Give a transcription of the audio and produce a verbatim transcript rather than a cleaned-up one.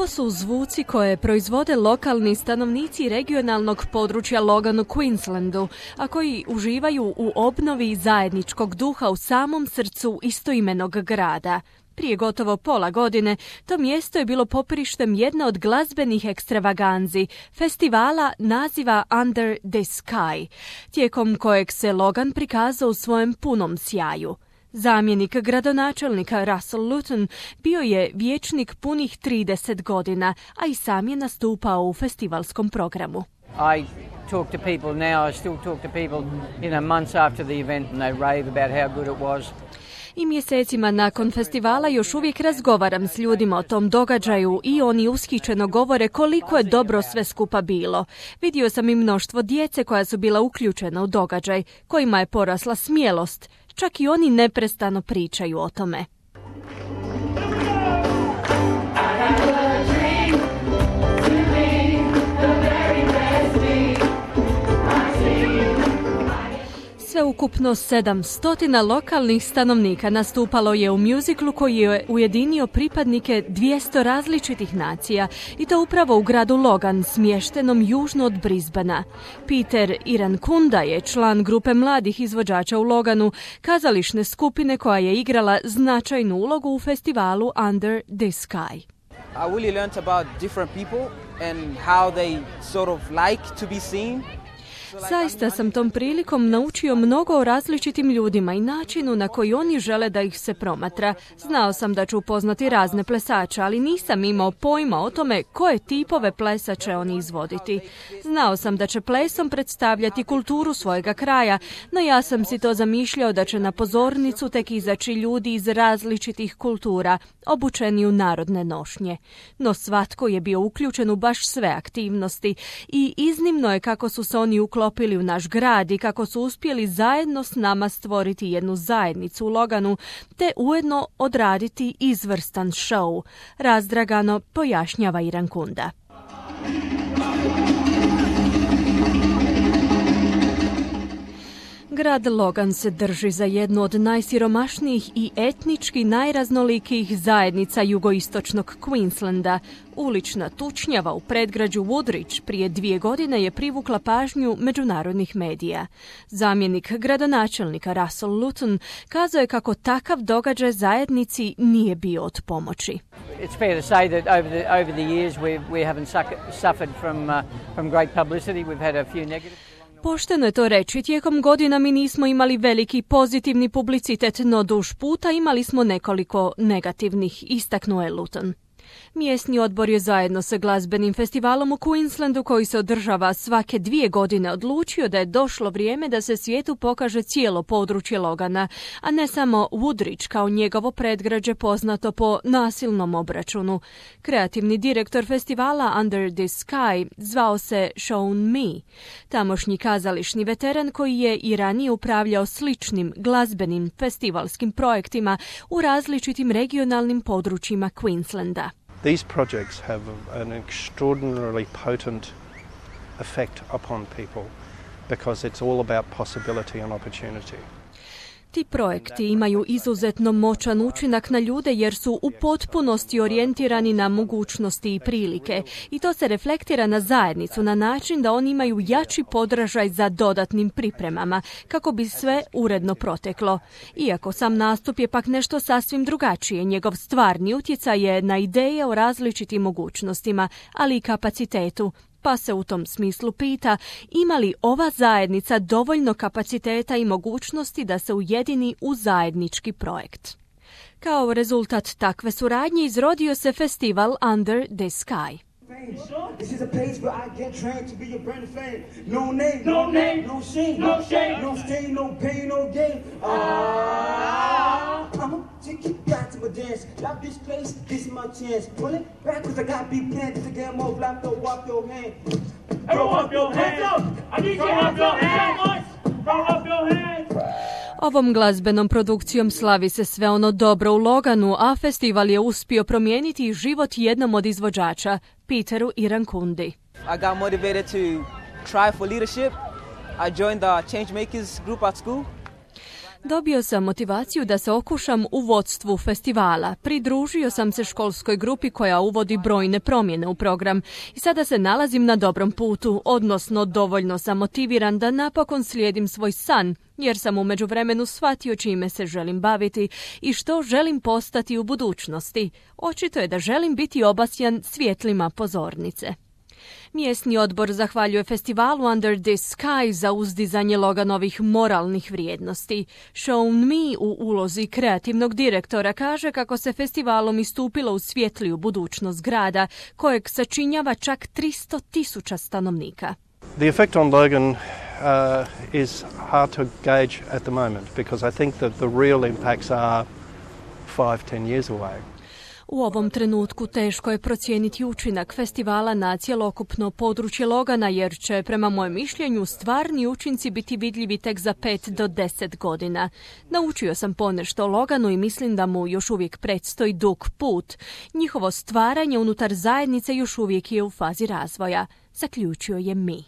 Ovo su zvuci koje proizvode lokalni stanovnici regionalnog područja Logan u Queenslandu, a koji uživaju u obnovi zajedničkog duha u samom srcu istoimenog grada. Prije gotovo pola godine to mjesto je bilo popirištem jedne od glazbenih ekstravaganzi, festivala naziva Under the Sky, tijekom kojeg se Logan prikazao u svojem punom sjaju. Zamjenik gradonačelnika Russell Luton bio je vijećnik punih trideset godina, a i sam je nastupao u festivalskom programu. I talk to people now, I still talk to people, you know, months after the event and they rave about how good it was. I mjesecima nakon festivala još uvijek razgovaram s ljudima o tom događaju i oni ushićeno govore koliko je dobro sve skupa bilo. Vidio sam i mnoštvo djece koja su bila uključena u događaj, kojima je porasla smjelost. Čak i oni neprestano pričaju o tome. Sveukupno sedamstotina lokalnih stanovnika nastupalo je u mjuziklu koji je ujedinio pripadnike dvjesto različitih nacija i to upravo u gradu Logan, smještenom južno od Brisbanea. Peter Irankunda je član grupe mladih izvođača u Loganu, kazališne skupine koja je igrala značajnu ulogu u festivalu Under the Sky. I really learned about different people and how they sort of like to be seen. Zaista sam tom prilikom naučio mnogo o različitim ljudima i načinu na koji oni žele da ih se promatra. Znao sam da ću upoznati razne plesače, ali nisam imao pojma o tome koje tipove plesa će oni izvoditi. Znao sam da će plesom predstavljati kulturu svojega kraja, no ja sam si to zamišljao da će na pozornicu tek izaći ljudi iz različitih kultura, obučeni u narodne nošnje. No svatko je bio uključen u baš sve aktivnosti i iznimno je kako su se oni uklopili u naš grad i kako su uspjeli zajedno s nama stvoriti jednu zajednicu u Loganu te ujedno odraditi izvrstan show, razdragano pojašnjava Irankunda. Grad Logan se drži za jednu od najsiromašnijih i etnički najraznolikijih zajednica jugoistočnog Queenslanda. Ulična tučnjava u predgrađu Woodridge prije dvije godine je privukla pažnju međunarodnih medija. Zamjenik gradonačelnika Russell Luton kazao je kako takav događaj zajednici nije bio od pomoći. It's fair to say that over the, over the years we, we haven't suffered from, uh, from great publicity. We've had a few negative... Pošteno je to reći, tijekom godina mi nismo imali veliki pozitivni publicitet, no duž puta imali smo nekoliko negativnih, istaknuo je Luton. Mjesni odbor je zajedno sa glazbenim festivalom u Queenslandu koji se održava svake dvije godine odlučio da je došlo vrijeme da se svijetu pokaže cijelo područje Logana, a ne samo Woodridge kao njegovo predgrađe poznato po nasilnom obračunu. Kreativni direktor festivala Under the Sky zvao se Sean Me, tamošnji kazališni veteran koji je i ranije upravljao sličnim glazbenim festivalskim projektima u različitim regionalnim područjima Queenslanda. These projects have an extraordinarily potent effect upon people because it's all about possibility and opportunity. Ti projekti imaju izuzetno moćan učinak na ljude jer su u potpunosti orijentirani na mogućnosti i prilike i to se reflektira na zajednicu na način da oni imaju jači podražaj za dodatnim pripremama kako bi sve uredno proteklo. Iako sam nastup je pak nešto sasvim drugačije, njegov stvarni utjecaj je na ideje o različitim mogućnostima, ali i kapacitetu. Pa se u tom smislu pita ima li ova zajednica dovoljno kapaciteta i mogućnosti da se ujedini u zajednički projekt. Kao rezultat takve suradnje izrodio se festival Under the Sky. This is a place where I get trained to be a brand fan. No name, no name, no shame, no shame, no stain, no pain, no gain. Ah, I'ma take you back to my dance. Love this place, this is my chance. Pull it back 'cause I got big plans to get more black. Throw up your hand. Throw up your hands. I need you to have your hands. Throw up your hands. Ovom glazbenom produkcijom slavi se sve ono dobro u Loganu, a festival je uspio promijeniti život jednom od izvođača, Peteru Irankundi. I got motivated to try for leadership. I joined the Changemakers group at school. Dobio sam motivaciju da se okušam u vodstvu festivala. Pridružio sam se školskoj grupi koja uvodi brojne promjene u program i sada se nalazim na dobrom putu, odnosno dovoljno sam motiviran da napokon slijedim svoj san, jer sam u međuvremenu shvatio čime se želim baviti i što želim postati u budućnosti. Očito je da želim biti obasjan svjetlima pozornice. Mjesni odbor zahvaljuje festivalu Under This Sky za uzdizanje Loganovih moralnih vrijednosti. Sean Mi u ulozi kreativnog direktora kaže kako se festivalom istupilo u svjetliju budućnost grada, kojeg sačinjava čak tristo tisuća stanovnika. The effect on Logan uh, is hard to gauge at the moment because I think that the real impacts are five, ten years away. U ovom trenutku teško je procijeniti učinak festivala na cjelokupno područje Logana, jer će, prema mojem mišljenju, stvarni učinci biti vidljivi tek za pet do deset godina. Naučio sam ponešto o Loganu i mislim da mu još uvijek predstoji dug put. Njihovo stvaranje unutar zajednice još uvijek je u fazi razvoja, zaključio je Mi.